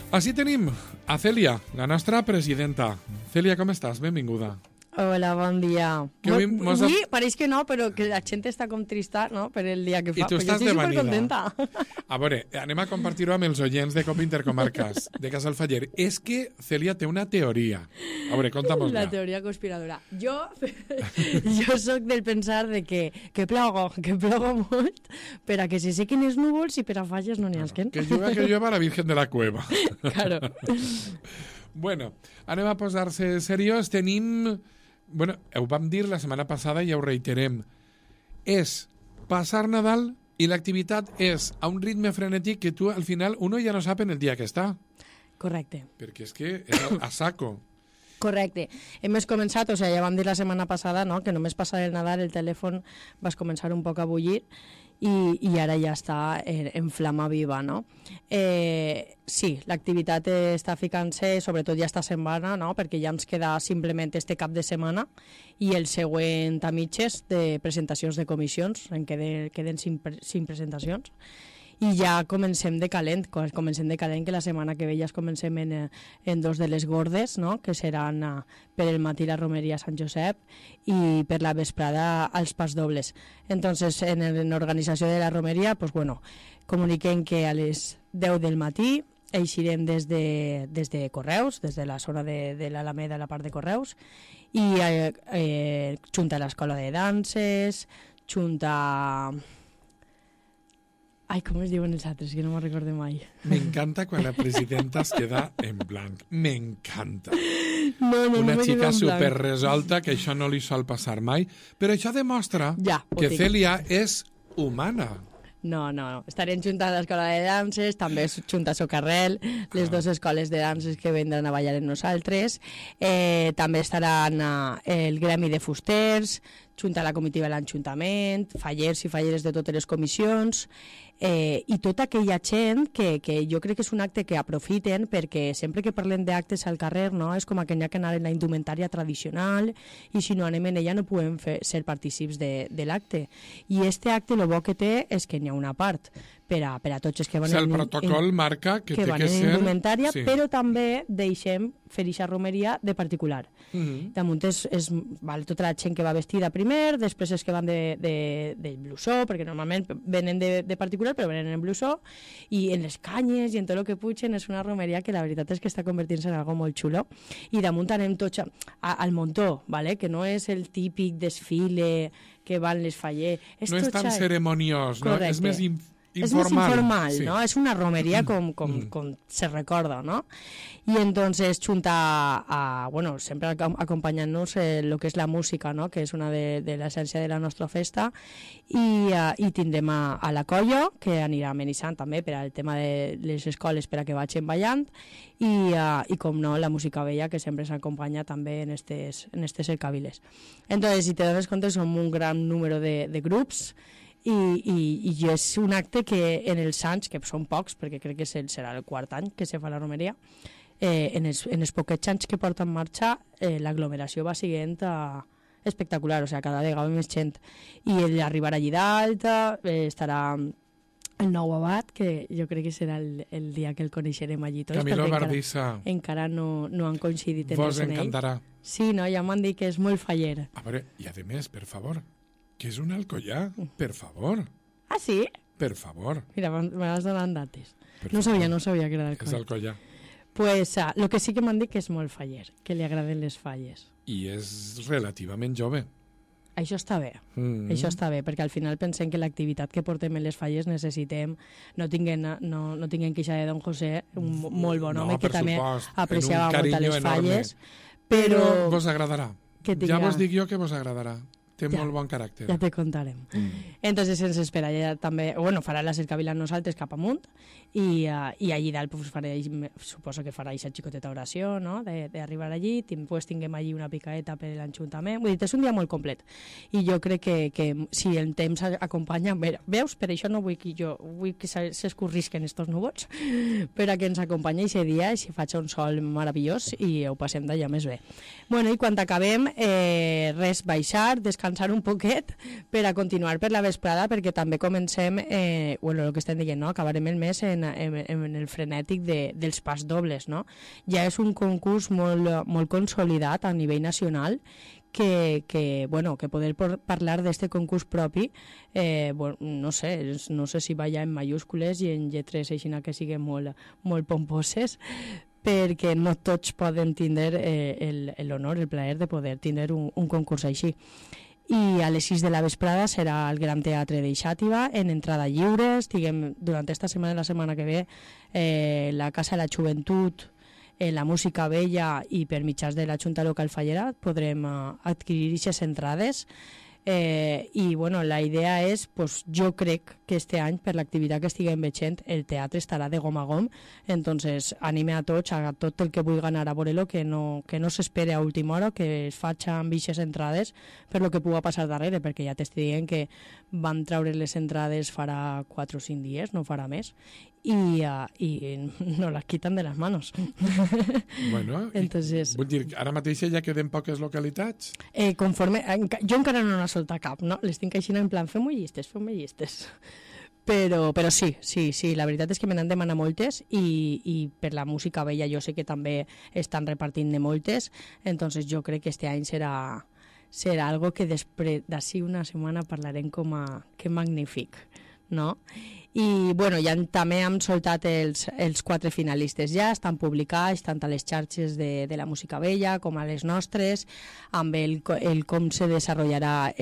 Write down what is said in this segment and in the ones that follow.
Així tenim a Cèlia, la nostra presidenta. Cèlia, com estàs? Benvinguda. Hola, bon dia. Avui pareix que no, però que la gent està com trista, no?, per el dia que fa. I tu estàs de vanida. Supercontenta. A veure, anem a compartir-ho amb els oients de Cop Intercomarques, de Casalfaller. És que Cèlia té una teoria. A veure, conta-mos-la. La teoria conspiradora. Jo soc del pensar de que plogo molt per a que se sequen els núvols i per a falles no n'hi hasquen. Que llueva la Virgen de la Cueva. Claro. Bueno, anem a posar-se seriós. Tenim... Bueno, ho vam dir la setmana passada i ja ho reiterem. És passar Nadal i l'activitat és a un ritme frenètic que tu, al final, uno ja no sap en el dia que està. Correcte. Perquè és que és a saco. Correcte. Hem començat, o sigui, ja vam dir la setmana passada, no?, que només passar el Nadal el telèfon vas començar un poc a bullir i ara ja està en flama viva, no? Sí, l'activitat està ficant-se, sobretot ja està setmana, no?, perquè ja ens queda simplement este cap de setmana i el següent a mitges de presentacions de comissions, en queden 5 presentacions. I ja comencem de calent, que la setmana que ve ja comencem en 2 de les gordes, no?, que seran per el matí la romeria a Sant Josep i per la vesprada als pas dobles. Entonces, en l'organització de la romeria, pues bueno, comuniquem que a les 10 del matí eixirem des de Correus, des de la zona de l'Alameda, la part de Correus, i junta a l'escola de danses, junta... Ai, com es diuen els altres, que no me'n recordo mai. M'encanta quan la presidenta es queda en blanc. M'encanta. Una xica superresolta, que això no li sol passar mai, però això demostra que Cèlia és humana. No. Estarem juntant a l'escola de danses, també junta a Socarrel, les 2 escoles de danses que vendran a ballar amb nosaltres. També estaran el gremi de fusters, junta a la comitiva de l'Ajuntament, fallers i falleres de totes les comissions, i tota aquella gent que jo crec que és un acte que aprofiten, perquè sempre que parlem d'actes al carrer, no, és com que n'hi ha que anar en la indumentària tradicional i si no anem en ella no podem ser partícips de l'acte. I este acte el bo que té és que n'hi ha una part per a tots els que van el protocol marca que té que ser... indumentària, sí. Però també deixem fer eixa romeria de particular. Damunt és tota la gent que va vestida primer, després els que van de blusó, perquè normalment venen de particular, però venen en blusó, i en les canyes i en tot el que pugen. És una romeria que la veritat és que està convertint-se en algo molt xulo. I damunt anem tots al muntó, ¿vale? Que no és el típic desfile que van les fallers. No és tan ceremoniós, no? És més informal. És més informal, sí. No? És una romeria com se recorda, no? I entonces junta bueno, sempre acompanyant-nos el que és la música, no?, que és una de l'essència de la nostra festa, i tindrem a la colla, que anirà amenitzant també per al tema de les escoles per a que vagin ballant, i com no, la música vella, que sempre s'acompanya també en estes cercaviles. Entonces, si te dones compte, som un gran número de grups, i és un acte que en els anys, que són pocs, perquè crec que serà el 4 any que se fa la romeria, en els poquets anys que porta en marxa, l'aglomeració va siguent espectacular, o sigui, cada vegada més gent. I arribar allí dalt, estarà el nou abat, que jo crec que serà el dia que el coneixerem allí tots. Camilo Bardissa. Encara no han coincidit en Vos encantarà. Sí, no, ja m'han dit que és molt faller. A veure, i a més, per favor, que és un alcoià, per favor. Ah, sí? Per favor. Mira, me vas donant dates. No sabia que era d'alcoià. És alcoià. Pues el que sí que m'han dit que és molt faller, que li agraden les falles. I és relativament jove. Això està bé, això està bé, perquè al final pensem que l'activitat que portem en les falles necessitem, no tinguem queixa de Don José, un molt bon home que també apreciava molt a les falles, però vos agradarà. Ja vos dic jo que vos agradarà. Té molt bon caràcter. Ja te contarem. Entonces ens espera ja també, bueno, farà la cercavila nosaltres cap amunt i allí dalt pues, suposo que farà aquesta xicoteta oració, no?, d'arribar allí, pues, tinguem allí una picaeta per l'Ajuntament. Vull dir, és un dia molt complet. I jo crec que si el temps acompanya... Veus? Per això no vull que s'escorrisquen estos núvols, per a que ens acompanyi aquest dia i si faig un sol meravellós i ho passem d'allà més bé. Bueno, i quan acabem, res, baixar, descansar, descansar un poquet per a continuar per la vesprada, perquè també comencem, bueno, el que estem dient, no? Acabarem el mes en el frenètic dels pas dobles, no? Ja és un concurs molt consolidat a nivell nacional, que poder parlar d'este concurs propi, bueno, no sé si va ja en mayúscules i en lletres així que siguin molt pomposes, perquè no tots poden tindre l'honor, el plaer de poder tindre un concurs així. I a les 6 de la vesprada serà al Gran Teatre de Xàtiva, en entrada lliure. Durant esta setmana i la setmana que ve, la Casa de la Joventut, la música vella i per mitjans de la Junta Local Fallera podrem adquirir aquestes entrades. I bueno, la idea és, pues, jo crec que este any, per l'activitat que estiguem veient, el teatre estarà de gom a gom, entonces anime a tots, a tot el que vulgui anar a veure-lo, que no s'espere a última hora, que es faci amb aquestes entrades per lo que pugui passar darrere, perquè ja t'estic dient que van treure les entrades farà 4 o 5 dies, no farà més, i no les quiten de les manos. Bueno, entonces, vull dir, ara mateix ja queden poques localitats? Jo encara no n'ha soltat cap, no? Les tinc així en plan, fem-ho llistes. Però sí, la veritat és que me n'han demanat moltes i per la música vella jo sé que també estan repartint de moltes, entonces jo crec que este any serà algo que després d'ací una setmana parlarem com a que magnífic, no? I bueno, ja també hem soltat els 4 finalistes, ja estan publicats tant a les xarxes de la música vella com a les nostres, amb el com se desenvoluparà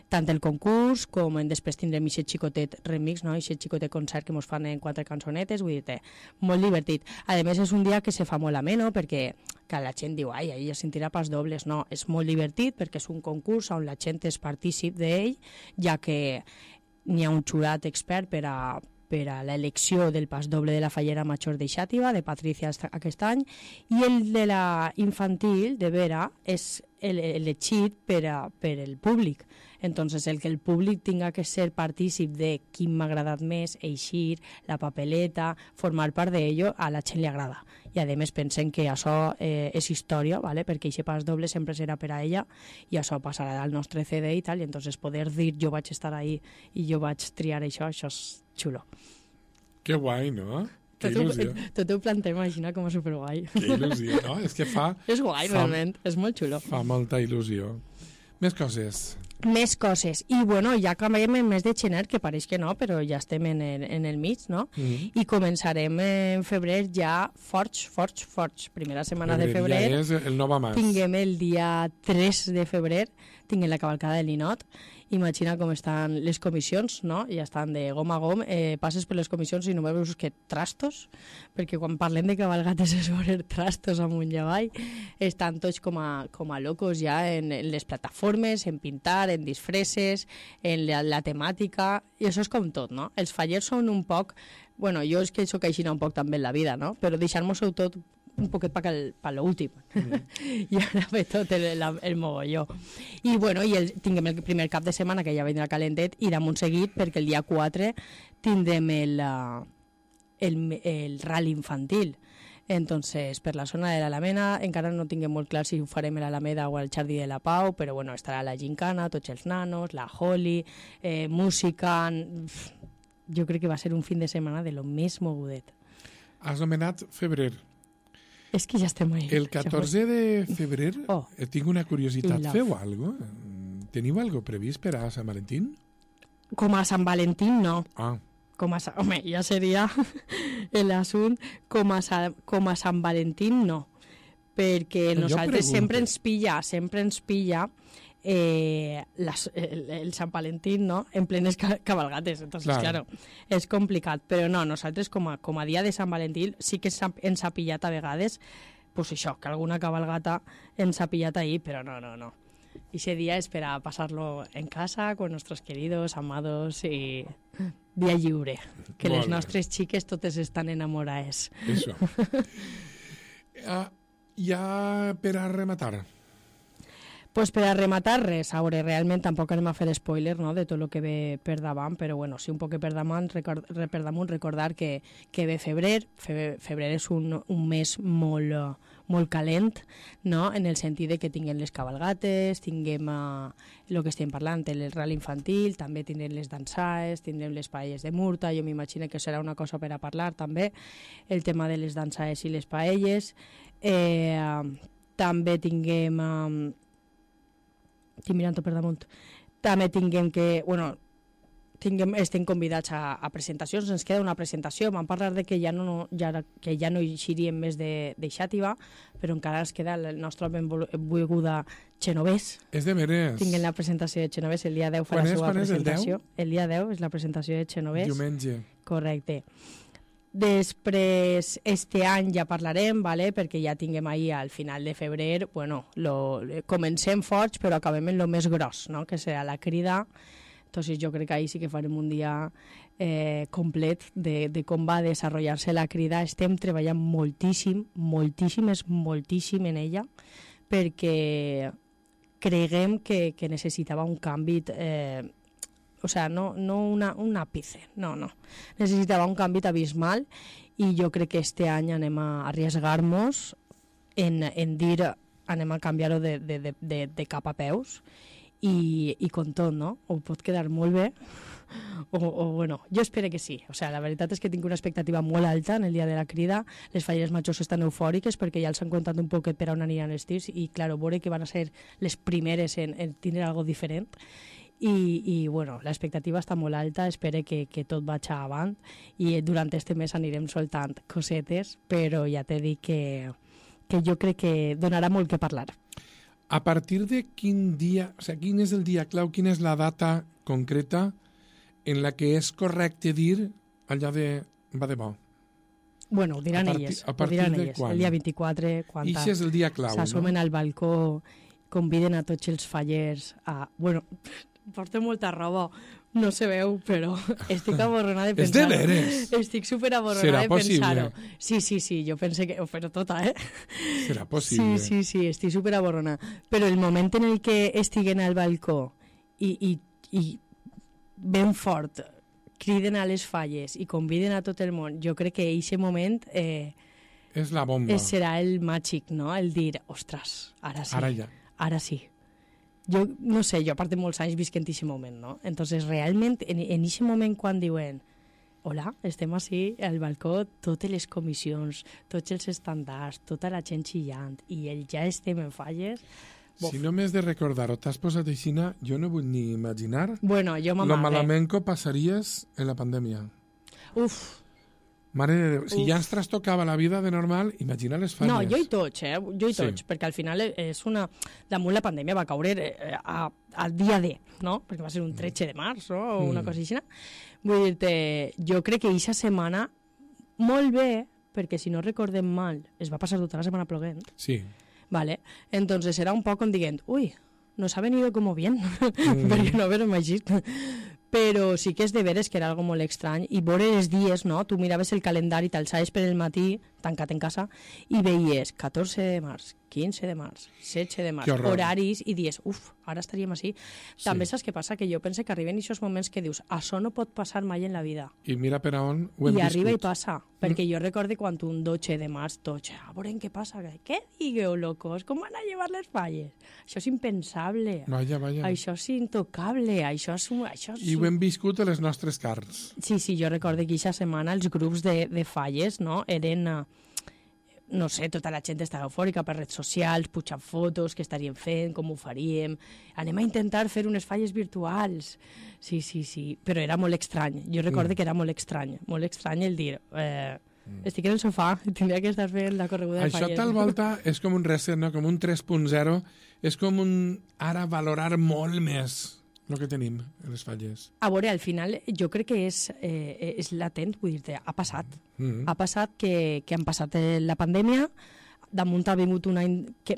tant el concurs com després tindrem aquest xicotet remix, no? Aquest xicotet concert que ens fan en 4 cançonetes, vull dir-te, molt divertit. A més, és un dia que se fa molt ameno, perquè que la gent diu, ai, ja sentirà pas dobles, no, és molt divertit perquè és un concurs on la gent és partícip d'ell, ja que n'hi ha un jurat expert per a l'elecció del pas doble de la Fallera Major de Xàtiva, de Patricia aquest any, i el de la infantil, de Vera, és elegit per el públic. Entonces, el que el públic tinga que ser partícip de quin m'ha agradat més, eixir, la papeleta, formar part d'ello, a la gent li agrada. I a més pensem que això és història, ¿vale? Perquè aquest pas doble sempre serà per a ella i això passarà al nostre CD i tal, i entonces poder dir jo vaig estar ahí i jo vaig triar això és xulo. Que guai, no? Que il·lusió. Tot ho plantem, imagina com a superguai. Que il·lusió, no? És que fa... És guai, realment, és molt xulo. Fa molta il·lusió. Més coses. Més coses. I bueno, ja acabem el mes de gener, que pareix que no, però ja estem en el mig, no? I començarem en febrer ja forts. Primera setmana de febrer. Ja és el Nova Mas. Tinguem el dia 3 de febrer, tinguem la cavalcada de Linot. Imagina com estan les comissions, no? Ja estan de gom a gom, passes per les comissions i no veus que trastos, perquè quan parlem de cabalgates és veure trastos amunt i avall, estan tots com a locos ja en les plataformes, en pintar, en disfresses, en la temàtica, i això és com tot, no? Els fallers són un poc, bueno, jo és que soc així un poc també en la vida, no? Però deixar-nos-ho tot un poquet per l'últim. I ara ve tot el mogolló. I bueno, tinguem el primer cap de setmana, que ja vendrà calentet, i damunt seguit, perquè el dia 4 tindrem el rally infantil. Entonces, per la zona de l'Alameda, encara no tinguem molt clar si ho farem a l'Alameda o al Jardí de la Pau, però bueno, estarà la gincana, tots els nanos, la Holly, música... Jo crec que va ser un fin de setmana de lo més mogudet. Has nomenat febrer. És que ja estem ahí. El 14 de febrer tinc una curiositat. Feu alguna cosa? Teniu alguna cosa previst per a Sant Valentín? Com a Sant Valentín, no. Home, ja seria l'assunt. Com a Sant Valentín, no. Perquè nosaltres sempre ens pilla el Sant Valentín, no? En plenes cabalgates, entonces claro, és complicat, però no, nosaltres com a dia de Sant Valentín sí que ens ha pillat a vegades, pues això, que alguna cabalgata ens ha pillat ahí, però no. Ese día es para pasarlo en casa con nuestros queridos, amados y dia lliure, que les nostres xiques totes estan enamorades. Això. Ja per a rematar. Pues per a rematar res, a veure, realment tampoc anem a fer spoiler, no?, de tot el que ve per davant, però bueno, sí un poc per damunt recordar que ve febrer. Febrer és un mes molt calent, no?, en el sentit de que tinguem les cabalgates, tinguem el que estem parlant, el ral infantil, també tindrem les dansaes, tindrem les paelles de Murta, jo m'imagino que serà una cosa per a parlar també, el tema de les dansaes i les paelles. També tinguem... estic mirant per damunt. També tinguem que, bueno, estem convidats a presentacions, ens queda una presentació, vam parlar de que ja no eixiríem més de Xàtiva, però encara ens queda la nostra benvolguda Xenovés. És de veres. Tinguem la presentació de Xenovés, el dia 10 fa la seva presentació. El dia 10 és la presentació de Xenovés. Diumenge. Correcte. Després, este any ja parlarem, ¿vale? Perquè ja tinguem ahir al final de febrer, bueno, comencem forts però acabem en lo més gros, no?, que serà la crida. Entonces jo crec que ahir sí que farem un dia complet de com va desenvolupar-se la crida. Estem treballant moltíssim en ella, perquè creguem que necessitava un canvi, o sea, no un ápice, no. Necessitava un canvi abismal i jo crec que este any anem a arriesgar-nos en dir, anem a canviar-ho de cap a peus i com tot, no? O pot quedar molt bé o bueno, jo espero que sí. O sea, la veritat és que tinc una expectativa molt alta en el dia de la crida. Les falleres majors estan eufòriques perquè ja els han contat un poquet per on aniran els tirs i, claro, veure que van a ser les primeres en tindre algo diferent. I bueno, l'expectativa està molt alta, espero que tot vagi avant i durant este mes anirem soltant cosetes, però ja t'he dit que jo crec que donarà molt que parlar. A partir de quin dia, o sigui, quin és el dia clau, quina és la data concreta en la que és correcte dir allò de va de bo? Bueno, ho diran elles. A partir de quan? El dia 24, quan I és el dia clau, s'assomen no? al balcó, conviden a tots els fallers a... Bueno, porto molta roba, no se veu, però estic aborronada de pensar-ho. És de veres? Estic superaborronada de pensar-ho. Sí, jo pense que ho faré tota, Serà possible? Sí, estic superaborronada. Però el moment en el que estiguen al balcó i ben fort criden a les falles i conviden a tot el món, jo crec que aquest moment... és la bomba. Serà el màgic, no? El dir, ostres, ara sí. Ara ja. Ara sí. Jo, no sé, jo a part de molts anys visc en aquest moment, no? Entonces, realment, en aquest moment quan diuen hola, estem així al balcó, totes les comissions, tots els estandards, tota la gent xillant, i ja estem en falles... Bof. Si no m'has de recordar o t'has posat aixina, jo no vull ni imaginar bueno, jo lo malament que passaries en la pandèmia. Uf. Mare de Déu, si ja ens trastocava la vida de normal, imagina les falles. No, jo i tots, perquè al final és una... Damunt la pandèmia va caure al dia D, no? Perquè va ser un 13 de març, no? O una cosa així. Vull dir-te, jo crec que aquesta setmana, molt bé, perquè si no recordem mal, es va passar tota la setmana ploguent. Sí. Vale, entonces era un poc com dient, uy, nos ha venido como bien, perquè no haver-ho imaginat. Però sí que és de veres que era algo molt estrany i veure els dies, no? Tu miraves el calendari, t'alçaves per el matí, tancat en casa, i veies 14 de març, 15 de març, 16 de març, horaris, i dies, uf, ara estaríem així. Sí. També saps què passa? Que jo penso que arriben aquests moments que dius, això no pot passar mai en la vida. I mira per on ho hem viscut. I arriba i passa, perquè jo recordo quan un 12 de març, a veure què passa, què digueu, locos, com van a llevar les falles? Això és impensable. Vaja. Això és intocable, això és... I ho hem viscut a les nostres carns. Sí, jo recordo que aquesta setmana els grups de falles, no?, eren... no sé, tota la gent estava eufòrica per redes socials, pujant fotos, què estaríem fent, com ho faríem, anem a intentar fer unes falles virtuals. Sí, però era molt estrany. Jo recordo que era molt estrany el dir, estic en el sofà, tindria que estar fent la correguda de falles. Això tal volta és com un reset, no? Com un 3.0, és com un ara valorar molt més el que tenim en les falles. A veure, al final jo crec que és latent, vull dir-te, ha passat. Ha passat que han passat la pandèmia, damunt ha vingut un any que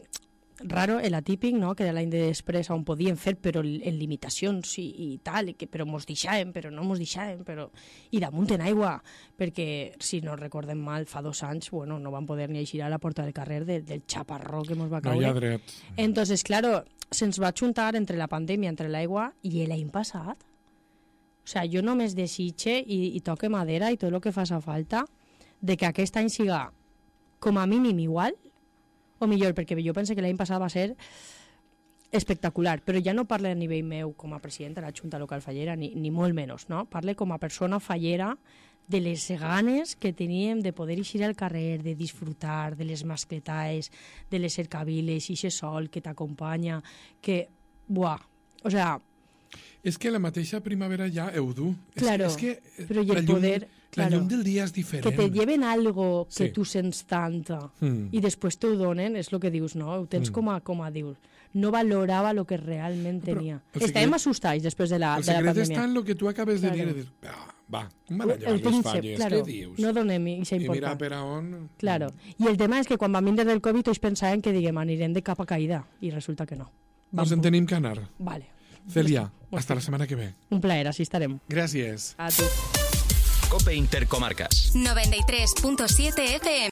raro, el atípic, no? Que era l'any de després on podíem fer, però en limitacions i tal, però mos deixàvem, però no mos deixàvem, però... I damunt en aigua, perquè, si no recordem mal, fa 2 anys, bueno, no van poder ni eixir a la porta del carrer del xaparró que mos va caure. No hi ha dret. Entonces, claro, se'ns va juntar entre la pandèmia, entre l'aigua, i l'any passat. O sea, jo només desitge i toque madera i tot el que faça falta de que aquest any siga com a mínim igual o millor, perquè jo penso que l'any passat va ser espectacular, però ja no parle a nivell meu com a president de la Junta Local Fallera, ni molt menys, no? Parle com a persona fallera de les ganes que teníem de poder eixir al carrer, de disfrutar de les mascletaes, de les cercaviles, i aquest sol que t'acompanya, que, buah, o sea... És que la mateixa primavera ja ho du. Claro, és que però i el poder... La llum del dia és diferent. Que te lleven algo que Sí. tu sents tant i després t'ho donen, és el que dius, no? Ho tens com a dius. No valorava el que realment tenia. Estàvem assustats després de la El secret pandèmia. està en el que tu acabes de dir. Claro. De dir va, com van a llevar El les príncep, falles? claro, Què dius? no donem aquesta I mira importància. per a on... Claro. I el tema és que quan vam vindre del Covid tots pensaven que diguem anirem de capa caïda i resulta que no. Nos en tenim que anar. Vale. Celia, hasta la setmana que ve. Un plaer, així estarem. Gràcies. A tu. COPE Intercomarcas. 93.7 FM.